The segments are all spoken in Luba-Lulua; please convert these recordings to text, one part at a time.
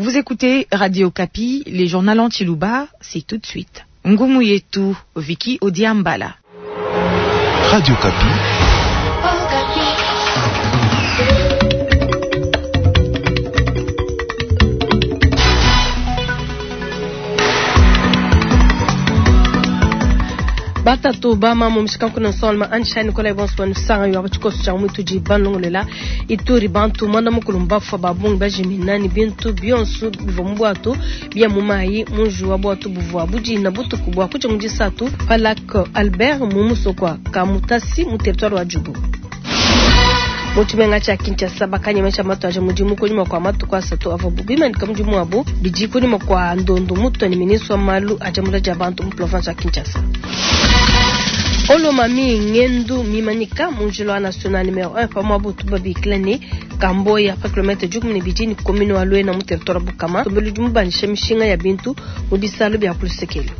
Vous écoutez Radio Okapi, les journaux en Tshiluba, c'est tout de suite. Ngumu yetu, Vicky Odiambala. Radio Okapi. Batatu ba mamu mishikanku nsolma ansha Nikolai bonso sanga yo abachikoso cha mutu ji banlongolela Ituri bantu mwanda mukulu mbafwa babungi bajimina ni bintu bionso bivua mu bwatu bia mu mayi munju wa bwatu buvua budina butuku bua kuja mu disatu pa lac Albert mu musoko wa Kamutasi mu territoire wa Djugu. Mu tshimenga tshia Kinshasa bakanyemesha matu aja mudimu kunyima kua matuku asatu avuabu bimanyika mudimu wabu bidi kunyima kua ndondu mutua ne ministre wa malu a diambula dia bantu mu province wa Kinshasa. Olomami ngendu mimanyika mu njila wa national numero 1 pa muaba utu babikila ne Kamboya pa kilometre dikumi ne bidi ne commune wa Luena mu territoire wa Bukama. Nsombelu udi mubandisha mishinga ya bintu mu bisalu bia ku lusekelu.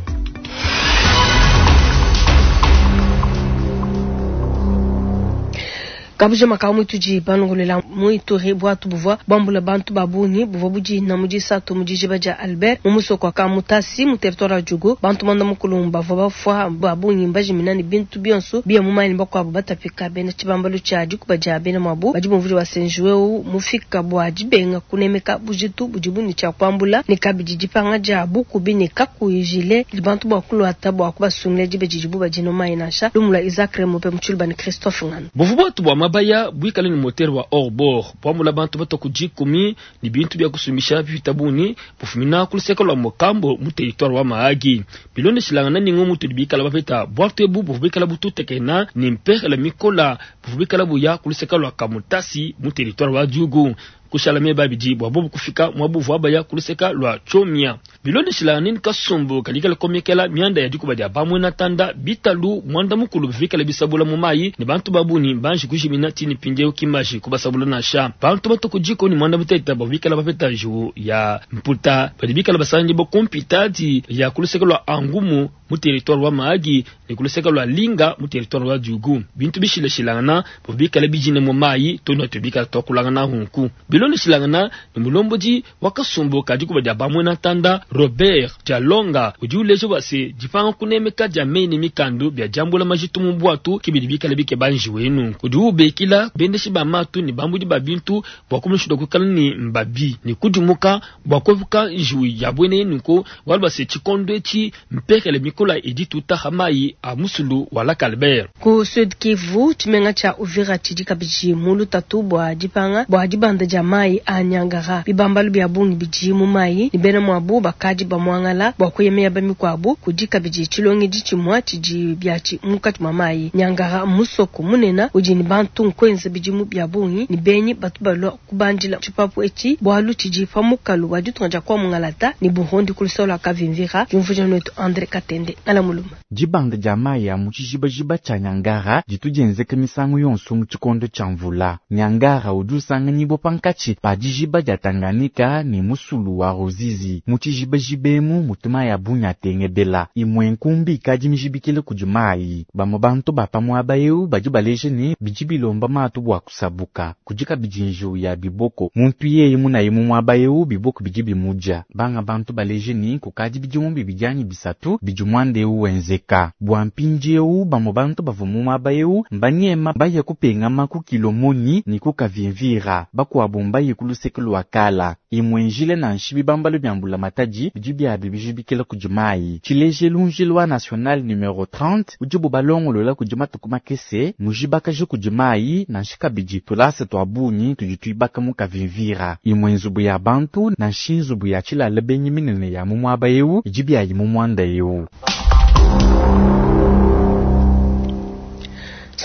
Kabujima ka muitudi banongolela mu Ituri bwatu buvua buambula bantu ba bungi buvua budina mu disatu mu dijiba dia Albert mu musoko wa Kamutasi mu territoire wa Djugu. Bantu muanda mukulu bavua bafua ba bungi mbajimina ne bintu bionso biya mu mayi ne bakuabu batapika. Bena tshibambalu tshia dikuba dia bena muabu badi bumvuija bua se njiwu eu mufika bua dibenga kunemeka bujitu budibu ne tshia kuambula ne kabidi dipanga dia bukubi ne kakuyi jile bantu bua kuluata bua kubasungila diba didibu badina mu mayi nansha. Lumu lua Isaac Remope mu Tshiluba ne Christophe Ngano. Buvua buatu bua mabaya buikale ne motere wa hors-bord buambula bantu batua ku dikumi ne bintu bia kusumbisha bipita bungi bufumina ku luseke lua Mokambo mu territoire wa Mahagi. Bilondeshilangana ne ngumu tudi bikala bapeta, buatu ebu buvua bikala bututekena ne mpehela mikola buvua bikala buya ku luseke lua Kamutasi mu territoire wa Djugu. Kushala meba abidi bua bobu kufika muaba uvua baya ku luseka lua Tshomia. Bilondeshilangane ne kasumbu kadi kikala komekela mianda ya dikuba dia ba muena tanda, bitalu muanda mukulu bivua bikale bisabula mu mayi ne bantu ba bungi mbanji kujimina tshii ne mpindieu ki mbaji kubasabula nansha. Bantu batue ku dikumi ne muanda mutekete bavua bikale bapeta njiwu ya mputa badi bikale basanganyibua ku mpitadi ya ku luseke lua Angumu mu territoire wa Mahagi ne ku luseke lua Linga mu territoire wa Djugu. Bintu bishilashilangana bivua bikale bijine mu mayi too ne atu bikale tuakulangana nunku. Bilondeshilangana ne mulombodi wa kasumbu ka dikuba dia ba-muena ntanda, Robert Jalonga, udi uleja bua se, dipanga kunemeka dia meyi ne mikandu bia diambula majitu mu buatu ke bidi bikale bikeba njiwu eyi. Nunku udi ubikila bendeshi ba matu ne bambudi ba bintu bua kumushindu wa kuikala ne mbabi ne kudimuka bua kuepuka njiwu ya buena eyi. Nunku bualu bua se, tshikondo etshi mpekele mikola idi ituta ha mayi a musulu wa Lac Albert. Ku Sud Kivu, tshimenga tshia Uvira tshidi kabidi mu lutatu bua dipanga bua dibanda dia mayi a Niangara. Bibambalu bia bungi bidi mu mayi ne bena muabu bakadi bamuangala bua kuya miaba mikuabu. Kudi kabidi tshilongedi tshimua tshidi biatshi munkatshi mua mayi. Niangara mmusoko munena udi ne bantu nkuenza bidimu bia bungi ne benyi batu balua kubandila tshipapu etshi bualu tshidi pa mukalu wa ditunga dia Kwa-Mungalata ne Burundi ku luseke lua Kavimvira, diumvuija nuetu Andre Katende Ngala Muluma. Dibanda dia mayi a mu tshijibajiba tshia Niangara ditu dienzeka misangu yonso mu tshikondo tshia mvula. Niangara udi usanganyibua pankatshi pa dijiba dia Tanganyika ne musulu wa Ruzizi. Mu tshijibajiba emu mutu mayi a bungi atengebela. Imue nkumbi ikadi mijibikila kudi mayi. Bamue bantu ba pa muaba eu badi baleja ne, bidi bilomba matu bua kusabuka. Kudi kabidi njiwu ya biboko. Muntu yeye munaye mu muaba eu, biboko bidi bimudia. Banga bantu baleje ne, kukadi bidimu bibidi anyi bisatu bidi muanda eu wenzeka. Bua mpindieu, bamue bantu bavua mu muaba eu mbanyema baye kupengama ku Kilomoni ne ku Kavimvira. Bakuabu mbaye ku luseke lua Kala. Imue njila nansha bibambalu bia mbulamatadi bidi biabi bijibikila kudi mayi. Tshilejelu, njila wa National Numero 30 udibu balongolola kudi matuku makese mujibakaja kudi mayi, nansha kabidi tulasa tua bungi tudi tuibaka mu Kavimvira. Imue nzubu ya bantu nansha nzubu ya tshilala benyi minene ya mu muaba eu idi biayi mu muanda eu.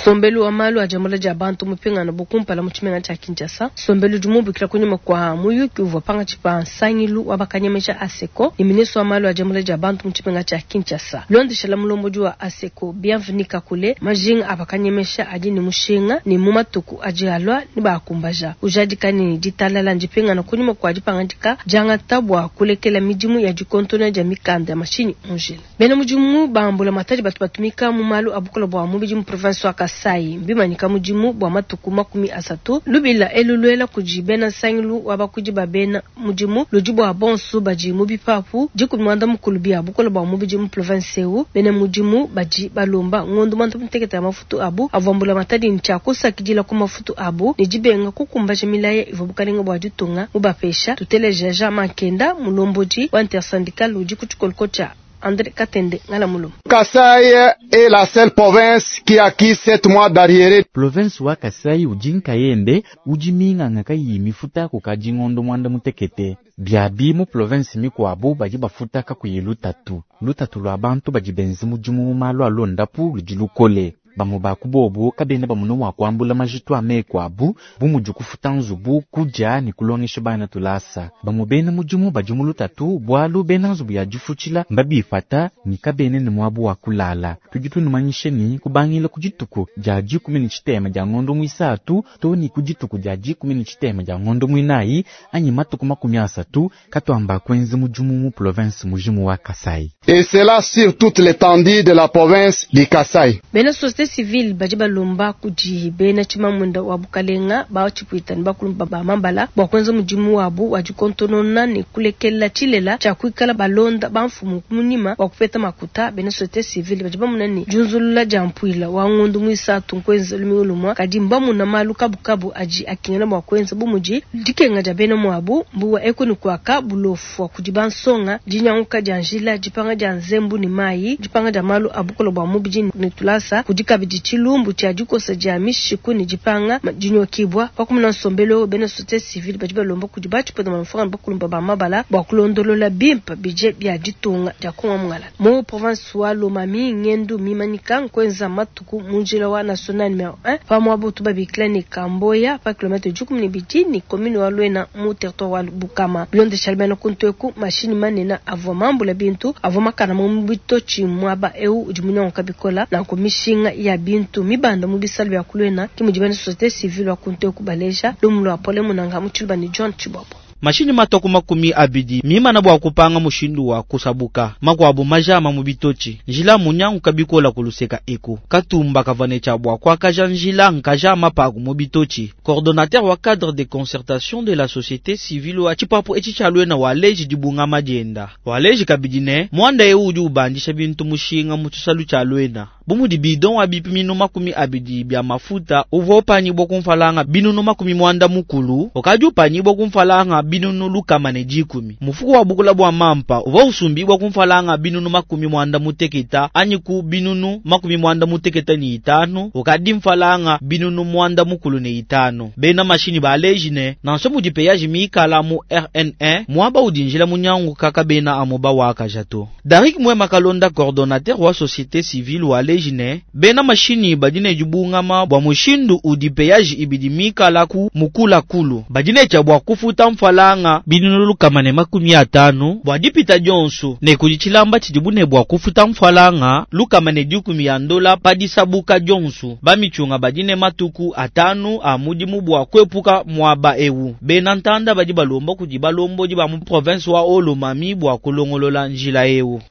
Nsombelu wa malu a diambula dia bantu mupingana bu kumpala mu tshimenga tshia Kinshasa. Nsombelu udi mubukila kunyima kua muyuki uvua pankatshi pa nsangilu wa bakanyemesha ASECO ne ministre wa malu a diambula dia bantu mu tshimenga tshia Kinshasa. Bilondeshela mulombodi wa ASECO Bienvenu Kakule, majinga a bakanyemesha adi ne mushinga ne mu matuku adi alua nebaakumbaja. Ujadika ne, ditalala ndipingana kunyima kua dipangadika diangata bua kulekela midimu ya dikontona dia mikanda ya mashinyi mu njila. Bena mudimu ba mbulamatadi batu batumika mu malu a bukole bua mubidi mu province wa Kasai. Kasaï mbimanyika mudimu bua matuku 30. Lubila elu luela kudi bena nsangilu wa bakuidi ba bena mudimu ludi bua bonso badi mu bipapu 14 bia bukole bua mubidi mu province eu. Bena mudimu badi balomba ngondo 16 ya mafutu abu avua mbulamatadi ne tshia kusakidila ku mafutu abu ne dibenga kukumbaja milaya ivua bukalenga bua ditunga mubapesha. Tuteleja Jean Mankenda, mulombodi wa intersyndical udi ku tshikoloko tshia André Katende Ngalamulu. Kasaï est la seule province qui a acquis 7 mois d'arriérés. Province wa Kasai udi nkayende udi minganga kayiyi mifuta kukadi ngondo 16. Biabi mu province mikuabu badi bafuta kakuyi lutatu. Lutatu lua bantu badi benza mudimu mu malu a londapu ludi lukole. Bamue ba ku bobu kabena bamona mua kuambula majitu a meku abu bu mudi kufuta nzubu, kudia ne kulongesha bana tulasa. Bamue bena mudimu badi mu lutatu bualu bena nzubu ya difutshila mbabipata ne kabena ne muabu wa kulala. Tudi tunumanyisha ne kubangila ku dituku dia 13 dia ngondo mwisatu to ne ku dituku dia 13 dia ngondo mwinayi anyi matuku 30 katuamba kuenza mudimu mu province mujimu wa Kasai. Et cela sur toute l'étendue de la province du Kasaï. Bena société civile badi balomba kudi bena tshimamunda wa bukalenga ba tshipuita ne bakulumba ba mambala bua kuenza mudimu wabu wa dikontonona ne kulekela tshilela tshia kuikala balonda bamfumu munyima wa kupeta makuta. Bena société civile badi bamuna ne diunzulula dia mpuila wa ngondo mwisatu nkuenza lumingu lumua kadi mbamuna malu kabukabu adi akingana bua kuenza bu mudi dikenga dia bena muabu mbuwa eku ne kuaka bulofu wa kudi bansonga dinyanguka dia njila dipanga dia nzembu ne mayi dipanga dia malu a bukole bua mubidi ne tulasa kudi kabidi tshilumbu tshia dikosa dia mishiku ne dipanga dinyokibwa pakumuna nsombelo bena société civile badi balomba kudi batshipota mafanga bakulumba ba mabala bua kulondolola bimpe bidje bia ditunga dia Kongo mungala mu province wa Lomami ngendu mimanyika nkwenza matuku mu njila wa national numero 1 pa muabu tubabikila ne Kamboya pa kilomètre 12 ni commune wa Luena mu territoire wa Bukama bilondesha bena kuntu eku mashini manene avua mambula bintu avua makana mu bitochi muaba eu udi munyanguka bikola nanku mishinga ya bintu mibanda mu bisalu bia ku Luena ki mudi bena société civile wa kuntu eku baleja lumu lua pole munanga mu tshiluba ne John Chibobo. Mashini matoku 20 mimana bua kupanga mushindu wa kusabuka makuabu majama mu bitochi njila munyanguka bikola kuluseka eku katumba kavanecha bua kwakaja njila nkajama paku mu bitochi. Coordonnateur wa cadre de concertation de la société civile wa tshipapu etshi tshia Luena waleji dibunga madienda waleji kabidi ne mwanda eu udi ubandisha bintu mushinga mu tshisalu tshia Luena bu mudi bidon wa bipimino 20 bya mafuta uvua upanyibwa kumfalanga binunu 90 ukadi upanyibwa kumfalanga binunu 110 mufuko wa bukula bwa mampa uvua usumbibwa kumfalanga binunu 96 anyi ku binunu 95 ukadi mfalanga binunu 95. Bena mashini baleji ne nansha mudi péage mikala mu RN1 mwaba udi njila munyangu kaka bena amoba wakaja to. Darik Mwema Kalonda, coordonnateur wa société civile waleji ne bena mashini badi ne dibungama bua mushindu udi péage ibidi mikala ku mukula kulu badi ne tshia bua kufuta mfalanga binunu 150 bua dipita dionso ne kudi tshilamba tshidibu ne bua kufuta mfalanga 110 ya ndola pa disabuka dionso. Bamichunga badi ne matuku 5 a mudimu bua kuepuka muaba ewu. Bena ntanda badi balomba kudi balombodi ba mu province wa Haut-Lomami bua kulongolola njila ewu.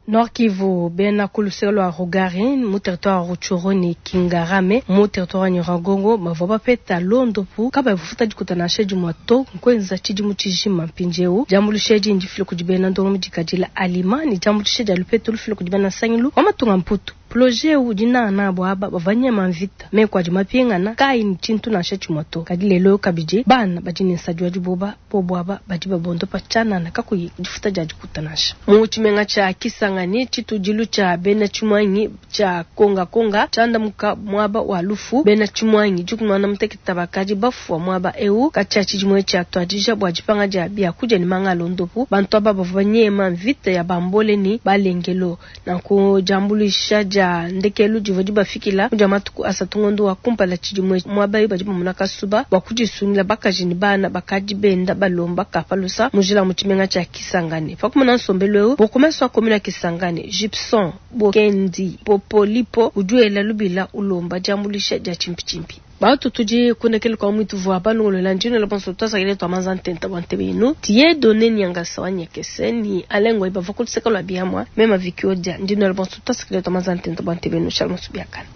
Nord Kivu, bena kuluseka lua Rugari mu territoire wa Rutshuru ne Kingarame mu territoire wa Nyiragongo bavua bapeta londopu kaba bafuta dikuta nansha dimue to nkuenza tshidimu tshijima mpindieu. Diambuluisha edi ndifile kudi bena ndongo dikadila alima ne diambuluisha dia lupetu lufile kudi bena nsangilu wa matunga mputu. Projet udi nana abo aba bavua nyema mvita meku adi mapingana kayi ne tshintu nansha tshimue to. Kadi lelo kabidi bana badi ne nsadi wa diboba bobo aba badi babondopa tshianana kakuyi difuta dia dikuta nansha. Mu tshimenga tshia Kisangani tshitudilu tshia bena tshimuangi tshia Konga Konga tshiandamuka muaba wa lufu. Bena tshimuangi 16 bakadi bafua muaba eu katshia tshidimue tshia tuadija bua dipanga dia biakudia ne manga londopu. Bantu aba bavua banyema mvita ya bambole ne balengelo. Nanku diambuluisha dia ndekelu divua dibafikila mu dia matuku 3 ngondo wa kumpala tshidimue muaba eu badi bamona kasuba bua kudisungila bakaji ne bana bakadi benda balomba kapalusa mu njila mu tshimenga tshia Kisangani. Pakumona nsombelu eu bourgmestre wa commune ya Kisangani Gibson Bokendi Popolipo udi wela lubila ulomba diambuluisha dia tshimpitshimpi. Batu tudi kundekele kwa mwitu vwa balongolola njino la bonso twasakile twa manza ntenta bwa ntebe inu tiye done nyangasa wa nyekese ni alengwa ibava kuluseka lwa biamwa mema vikiodia ndino la bonso twasakile twa manza ntenta bwa ntebe inu shalom subiakana.